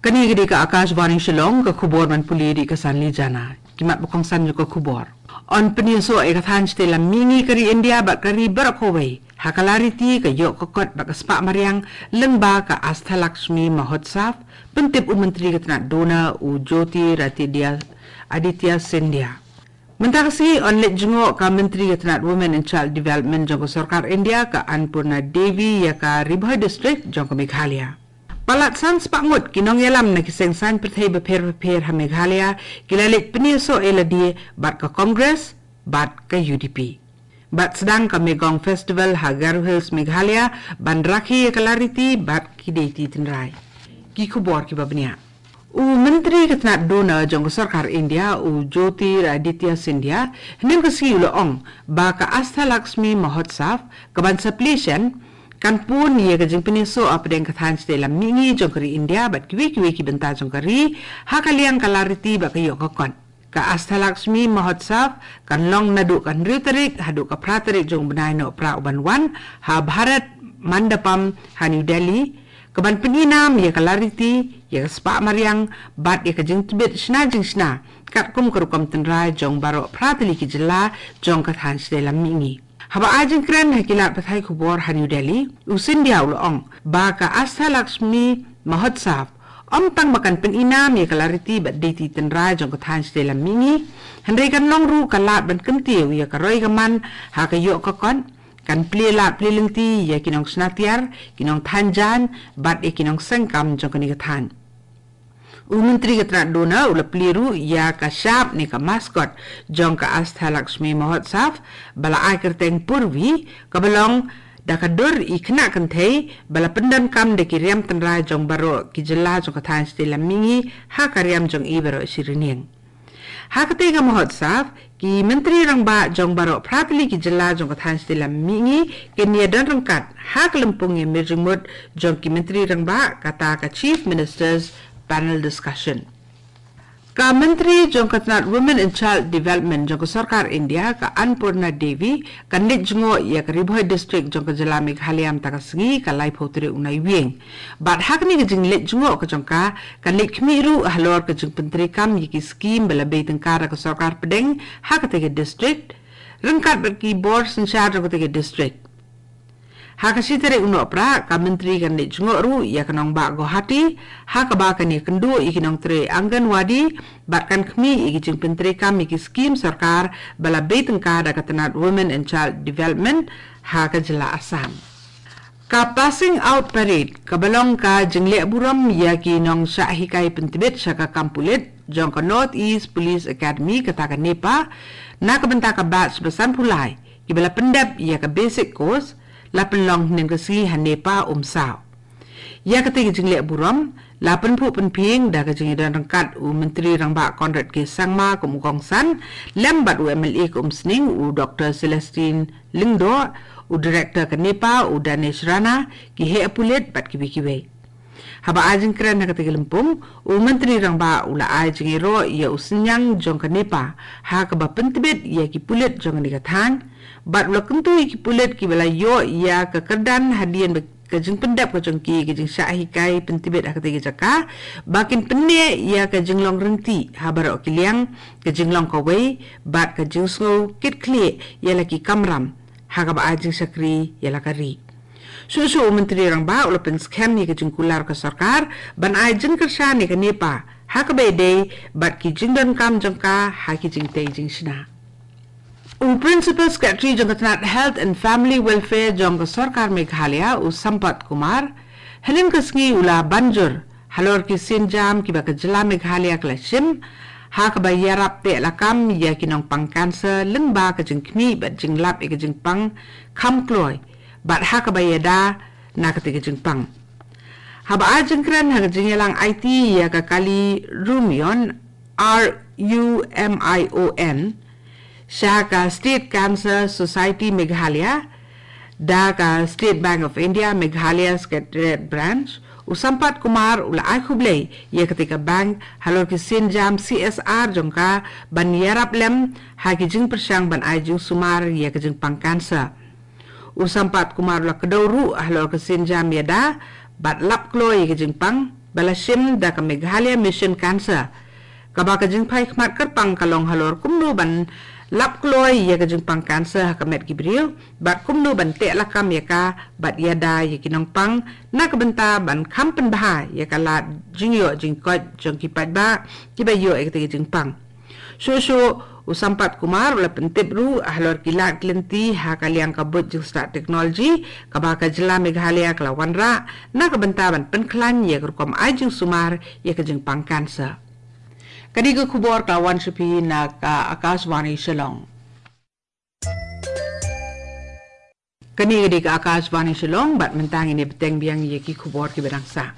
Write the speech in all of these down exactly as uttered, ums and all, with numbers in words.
Kane ka dei ka Akashvani Shillong, ka khubor ban pule da ka Sanli Jana. Ki mat ba kongsan jong ka khubor. Yn pynïasoh ïa ka thaiñ shatei lam mihngi ka ri India bad ka ri baroh kawei ha ka lariti ka ïoh ka kot bad ka spah mariang lyngba ka Ashtalakshmi Mahotsav, pyntip u Myntri ka tnat DoNER u Jyotiraditya Scindia. Mynta ka sngi yn leit jngoh ka Myntri ka tnat Women and Child Development jong ka Sorkar India ka Annpurna Devi ïa ka Ri Bhoi District jong ka Meghalaya. Palat san spah ngut ki nongïalam na ki seng saiñ pyrthei bapher bapher ha Meghalaya ki la leit pynïasoh ïa lade bad ka Congress bad ka U D P. Bad sdang ka Megong Festival ha Garo Hills, Meghalaya, ban rakhe ïa ka lariti bad ki deiti tynrai. Ki khubor kiba bniah. U Myntri ka tnat DoNER jong ka Sorkar India u Jyotiraditya Scindia hynnin ka sngi u la ong ba ka Ashtalakshmi Mahotsav kaban sa plie shen kan pun ïa ka jingpynïasoh hapdeng ka thaiñ shatei lam mihngi jong ka ri India bad kiwei kiwei ki bynta jong ka ri ha ka liang ka lariti bad ka ïoh ka kot. Ka Ashtalakshmi Mahotsav kan long naduh ka hynriew tarik haduh ka phra tarik jong u bnai Nohprah uban wan ha Bharat Mandapam ha New Delhi, kaban pyni nam ïa ka lariti, ïa ka spah mariang bad ïa ka jingtbit shna jingshna katkum ka rukom tynrai jong baroh phra tylli ki jylla jong ka thaiñ shatei lam mihngi. Haba ai jingkren ha ki lad pathai khubor ha New Delhi, u Scindia u la ong ba ka Ashtalakshmi Mahotsav ym tang ba kan pyni nam ïa ka lariti bad deiti tynrai jong ka thaiñ shatei lam mihngi, hynrei kan long ruh ka lad ban kyntiew ïa ka roi ka man ha ka ïoh ka kot, kan plie lad plie lynti ïa ki nongshna tiar, ki nongthaiñ jaiñ bad ïa ki nongseng kam jong kane ka thaiñ. U Myntri ka tnat DoNER u la plie ruh ïa ka shap ne ka mascot jong ka Ashtalakshmi Mahotsav ba la ai kyrteng Purvi, kaba long da ka dur i khynnah kynthei ba la pyndonkam da ki riam tynrai jong baroh ki jylla jong ka thaiñ shatei lam mihngi ha ka riam jong i baroh shi rynïeng. Ha katei ka Mahotsav, ki Myntri Rangbah jong baroh phra tylli ki jylla jong ka thaiñ shatei lam mihngi kin ïadon ryngkat ha ka lympung ïamir jingmut jong ki Myntri Rangbah, kata ka Chief Minister's Panel Discussion. Ka Myntri jong ka tnat Women and Child Development jong ka Sorkar India ka Annpurna Devi kan leit jngoh ïa ka Ri Bhoi District jong ka jylla Meghalaya mynta ka sngi ka laiphew tarik u Naiwieng. Bad ha kane ka jingleit jngoh ka jong ka, kan leit khmih ruh halor ka jingpyntreikam ïa ki skim ba la bei tyngka da ka sorkar pdeng ha katei ka district, ryngkat bad ki bor synshar jong katei ka district. Ha ka shi tarik u Nohprah, ka Myntri kan leit jngoh ruh ïa ka nongbah Guwahati, ha kaba kan ïakynduh ïa ki nongtrei Anganwadi bad kan khmih ïa ki jingpyntreikam ïa ki skim sorkar ba la bei tyngka da ka tnat Women and Child Development ha ka jylla Assam. Ka Passing Out Parade, kaba long ka jingleh burom ïa ki nongshah hikai pyntbit sha ka kam pulit jong ka North East Police Academy, kata ka NEPA, na ka bynta ka batch ba sanphew lai kiba la pyndep ïa ka basic course, la pynlong hynnin ka sngi ha NEPA Umsaw. Ïa katei ka jingleh burom la pynphuh pynphieng da ka jingïadon ryngkat u Myntri Rangbah Conrad K Sangma kum u kongsan, lem bad u M L A ka Umsning u Doktor Celestine Lyngdoh, u Director ka NEPA u Danesh Rana, ki heh pulit bad kiwei kiwei. Haba ai jingkren ha katei ka lympung, u Myntri Rangbah u la ai jingïaroh ïa u synñiang jong ka NEPA ha kaba pyntbit ïa ki pulit jong kane ka thaiñ, bad u la kyntu ïa ki pulit kiba la ïoh ïa ka kyrdan hadien ba ka jingpyndep ka jong ki ka jingshah hikai pyntbit ha katei ka jaka, ba kin pynneh ïa ka jinglong rynti ha baroh ki liang, ka jinglong kawei bad ka jingsngew kit khlieh ïa la ki kamram ha kaba ai jingshakri ïa la ka ri. Shuh shuh u Myntri Rangbah u la pynskhem ïa ka jingkular ka sorkar ban ai jingkyrshan ïa ka NEPA ha kaba ïadei bad ki jingdonkam jong ka ha ki jingtei jingshna. U Principal Secretary jong ka tnat Health and Family Welfare jong ka Sorkar Meghalaya, u Sampath Kumar, hynnin ka sngi u la ban jur halor ki sienjam kiba ka jylla Meghalaya ka la shim ha kaba ïarap teh lakam ïa ki nongpang cancer lyngba ka jingkhmih bad jinglap ïa ka jingpang kham kloi bad ha kaba ïada na katei ka jingpang. Haba ai jingkren ha ka jingïalang aiti ïa ka kali Rumion, R U M I O N, sha ka State Cancer Society Meghalaya da ka State Bank of India Meghalaya Secretariat Branch, u Sampath Kumar u la ai khublei ïa katei ka bank halor ki sienjam C S R jong ka ban ïarap lem ha ki jingpyrshang ban ai jingsumar ïa ka jingpang cancer. U Sampath Kumar u la kdew ruh halor ka sienjam ïada bad lap kloi ïa ka jingpang ba la shim da ka Meghalaya Mission Cancer, kaba ka jingphai khmat kyrpang ka long halor kumno ban lap kloi ïa ka jingpang cancer ha ka met ki briew, bad kumno ban teh lakam ïa ka bad ïada ïa ki nongpang, na ka bynta ban kham pynbha ïa ka lad jingïoh jingkoit jong ki paidbah kiba ïoh ïa ka jingpang. Shuh shuh, u Sampath Kumar u la pyntip ruh halor ki lad ki lynti ha ka liang ka buit jingstad technology kaba ka jylla Meghalaya ka la wanrah, na ka bynta ban pynkhlaiñ ïa ka rukom ai jingsumar ïa ka jingpang cancer. Kane ka khubor ka la wan sha phi na ka Akashvani Shillong. Kane ka dei ka Akashvani Shillong, bad mynta ngin ïa bteng biang ïa ki khubor kiba dang sah.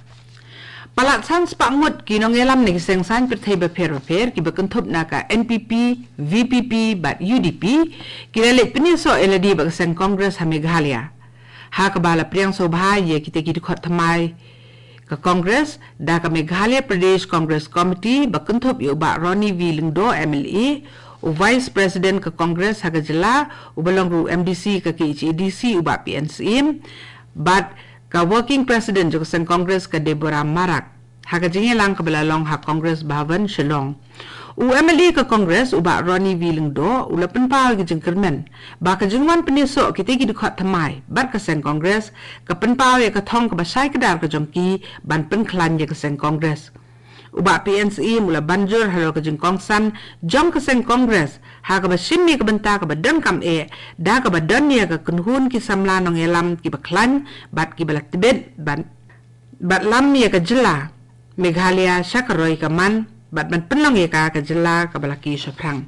Palat san spah ngut ki nongïalam na ki seng saiñ pyrthei bapher bapher kiba kynthup na ka N P P, V P P bad U D P ki la leit pynïasoh ïalade bad ka seng Congress ha Meghalaya, ha kaba la pdiang sngewbha ïa kita ki dkhot thymmai ka Congress da ka Meghalaya Pradesh Congress Committee ba kynthup ïa u Bah Ronnie V Lyngdoh, M L A, u Vice President ka Congress ha ka jylla, uba long ruh M D C ka K H A D C, u Bah P N Syiem, bad ka Working President jong ka seng Congress, ka Deborah Marak, ha ka jingïalang kaba la long ha Congress Bhavan, Shillong. U M L A ka Congress, u Bah Ronnie V Lyngdoh, u la pynpaw ïa ka jingkyrmen ba ka jingwan pynïasoh kita ki dkhot thymmai bad ka seng Congress ka pynpaw ïa ka thong kaba shai kdar ka jong ki ban pynkhlaiñ ïa ka seng Congress. U Bah P N Syiem u la ban jur halor ka jingkongsan jong ka seng Congress ha kaba shim ïa ka bynta kaba donkam eh, da kaba don ïa ka kynhun ki samla nongïalam kiba khlaiñ bad kiba la tbit ban bad lam ïa ka jylla Meghalaya sha ka roi ka man, bad ban pynlong ïa ka ka jylla kaba la ki shaphrang.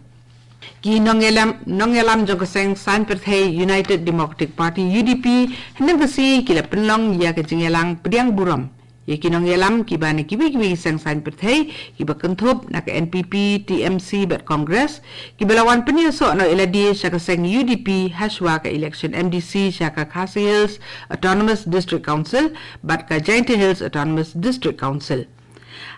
Ki nongïalam, nongïalam jong ka seng saiñ pyrthei United Democratic Party, U D P, hynne ka sngi ki la pynlong ïa ka jingïalang pdiang burom ïa ki nongïalam kiba na kiwei kiwei ki seng saiñ pyrthei, kiba kynthup na ka N P P, T M C bad Congress, kiba la wan pynïasoh noh ïalade sha ka seng U D P hashwa ka election M D C sha ka Khasi Hills Autonomous District Council bad ka Jaintia Hills Autonomous District Council.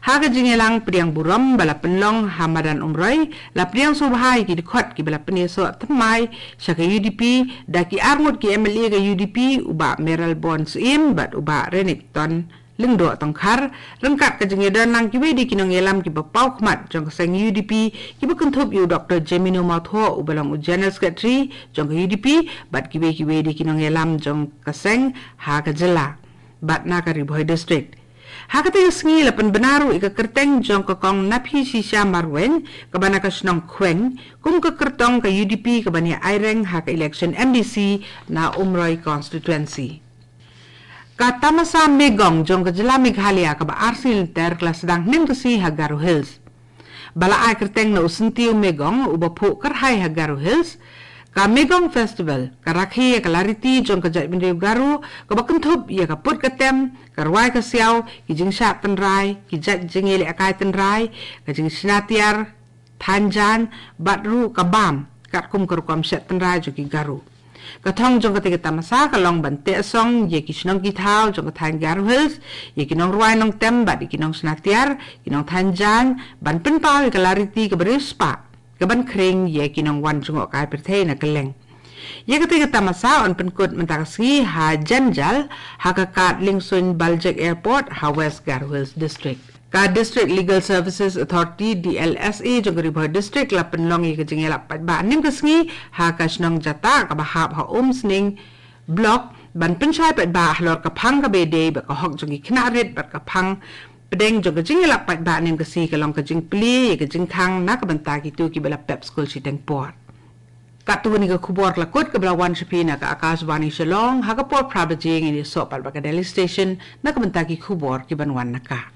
Ha ka jingïalang pdiang burom ba la pynlong ha madan Umroi, la pdiang sngewbha ïa ki dkhot kiba la pynïasoh thymmai sha ka U D P da ki arngut ki M L A ka U D P, u Bah Mayralborn Syiem bad u Bah Renikton Lyngdoh Tongkhar, ryngkat ka jingïadon lang kiwei de ki nongïalam kiba paw khmat jong ka seng U D P, kiba kynthup ïa u Doktor Jemino Mawthoh, uba long u General Secretary jong ka U D P, bad kiwei kiwei de ki nongïalam jong ka seng ha ka jylla bad na ka Ri Bhoi District. Ha kata ka sngi la pynbna ruh ïa ka kyrteng jong ka Kong Naphishisha Marwein, kaba na ka shnong Khweng, kum ka kyrtong ka U D P kaban ïa aireng ha ka election M D C na Umroi constituency. Ka tamasa Megong jong ka jylla Meghalaya kaba arsien lynter ka la sdang hynne ka sngi ha Garo Hills. Ba la ai kyrteng na u Syntiew Megong uba phuh kyrhai ha Garo Hills, ka Megong Festival ka rakhe ïa ka lariti jong ka jaitbynriew Garo, kaba kynthup ïa ka put ka tem, ka rwai ka siaw, ki jingshad tynrai, ki jait jingïalehkai tynrai, ka jingshna tiar, thaiñ jaiñ, bad ruh ka bam, katkum ka rukom shet tynrai jong ki Garo. Ka thong jong kata ka tamasa ka long ban teh song ïa ki shnong ki thaw jong ka thaiñ Garo Hills, ïa ki nongrwai nongtem bad ïa ki nongshna tiar, ki nongthaiñ jaiñ, ban pynpaw ïa ka lariti kaba riewspah, kaban khring ïa ki nongwan jngohkai pyrthei na kylleng. Ïa kata ka tamasa yn pynkut mynta ka sngi ha Jynjal, ha ka kad Liengsuiñ Baljek Airport, ha West Garo Hills District. Ka District Legal Services Authority, D L S A, jong ka Ri Bhoi District la pynlong ïa ka jingïalap paidbah hynne ka sngi ha ka shnong Jatah kaba hap ha Umsning Block, ban pynshai paidbah halor ka phang kaba ïadei bad ka hok jong ki khynnah rit bad ka phang pdeng jong ka jingïalap paidbah hynne ka sngi ka long ka jingplie ïa ka jingkhang na ka bynta kito kiba la pep skul shiteng por. Katto katne ka khubor ka la kut kaba la wan sha phi na ka Akashvani Shillong, ha ka por phra baje ngin ïasoh pat bad ka Delhi Station na ka bynta ki khubor kiban wan na ka